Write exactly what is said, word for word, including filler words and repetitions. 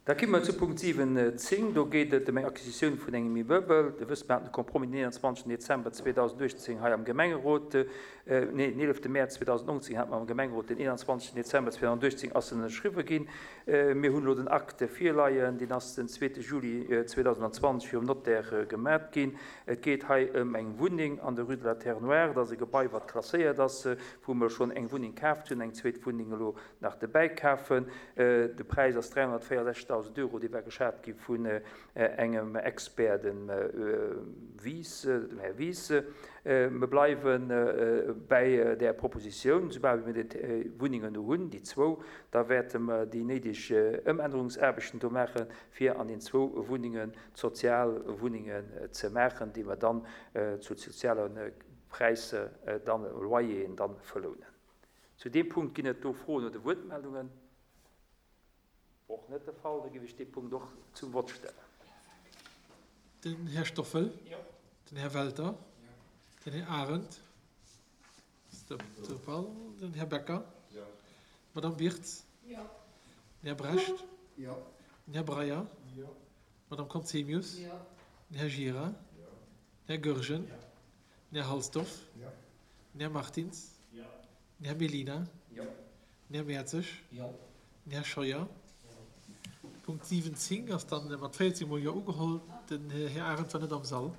Da komme mer zu Punkt siwen zéng. Do geet et ëm eng Acquisitioun vun engem Immeubel. Dir wësst, mer haten de Compromis den eenanzwanzegsten Dezember zweedausenduechtzéng hei am Gemengerot, nee, den eelefte Mäerz zweedausenneunzéng hate mer am Gemengerot, den eenanzwanzegsten Dezember zweedausenduechtzéng ass en ënnerschriwwe ginn. Mir hunn elo den Acte virleien, deen ass den zweete Juli zweedausendzwanzeg virum Notaire gemat ginn. Et geet hei ëm eng Wunneng an der Rue de la Terre Noire. Dat ass e Gebai, wat klasséiert ass, wou mer schonn eng Wunneng kaaft hunn, eng zweet Wunneng elo nach dobäi kafen. De Präis ass dräihonnertvéierundsechzegdausend Euro, dee war geschat gi vun engem Expert, dem Wies, dem Här Wies. Mir bleiwe bäi där Propositioun, soubal wéi mir déi Wunnengen do hunn, déi zwou, da wäerte mer déi néideg Ëmännerungsaarbechten do maachen, fir an den zwou Wunnengen sozial Wunnengen ze maachen, déi mer dann zu soziale Präisser dann, Loyeren dann verlounen. Zu deem Punkt ginn et do Froen oder Wuertmeldungen? Och net de Fall. Da géif ech dee Punkt och zum Vott stellen. Den Här Stoffel. Den Här Welter. Den Här Arendt. Den Här Becker. D'Madame Birtz. Den Här Brecht. Den Här Breyer. D'Madame Conzemius. Den Här Gira. Den Här Goergen. Den Här Halsdorf. Den Här Martins. Den Här Mellina. Den Här Mertzig. Den Här Scheuer. Punkt siwwenzéng ass dann mat véierzéng mol Jo ugeholl. Den Här Arendt war net am Sall.